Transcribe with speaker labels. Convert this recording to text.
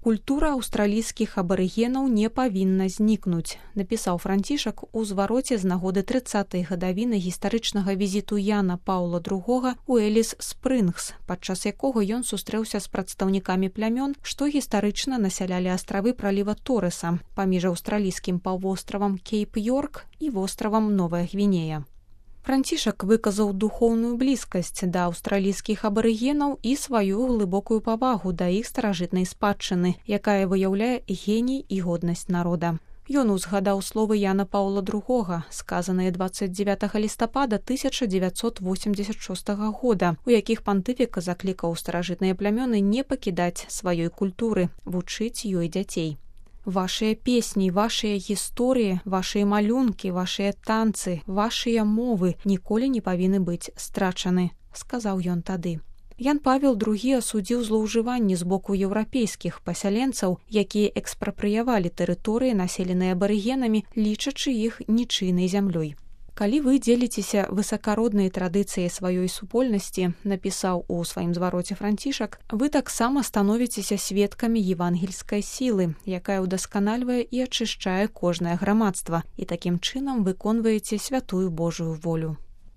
Speaker 1: Культура аўстралійскіх абарыгенаў не павінна знікнуць, напісаў Францішак у звароце з нагоды 30-й гадавіны гістарычнага візіту Яна Паўла II у Эліс-Спрынгс, падчас якога ён сустрэўся з прадстаўнікамі плямён, што гістарычна насялялі астравы праліва Торреса паміж аўстралійскім паўвостравам Кейп-Йорк і востравам Новая Гвінея. Францішак выказаў духоўную блізкасць да аўстралійскіх абарыгенаў і сваю глыбокую павагу да іх старажытнай спадчыны, якая выяўляе геній і годнасць народа. Ён узгадаў словы Яна Паўла II, сказаныя 29 лістапада 1986 года, у якіх пантыфік заклікаў старажытныя плямёны не пакідаць сваёй культуры, вучыць ёй дзяцей. Вашыя песні, вашыя гісторыі, вашыя малюнкі, вашыя танцы, вашыя мовы ніколі не павінны быць страчаны, сказаў ён тады. Ян Павел II асудзіў злоўжыванні з боку еўрапейскіх пасяленцаў, якія экспрапрыявалі тэрыторыі, населеныя абарыгенамі, лічачы іх нічыйнай зямлёй. Калі вы дзеліцеся высакароднай традыцыяй сваёй супольнасці, напісаў у сваім звароце Францішак, вы таксама становіцеся сведкамі евангельскай сілы, якая ўдасканальвае і ачышчае кожнае грамадства, і такім чынам выконваеце святую Божую волю.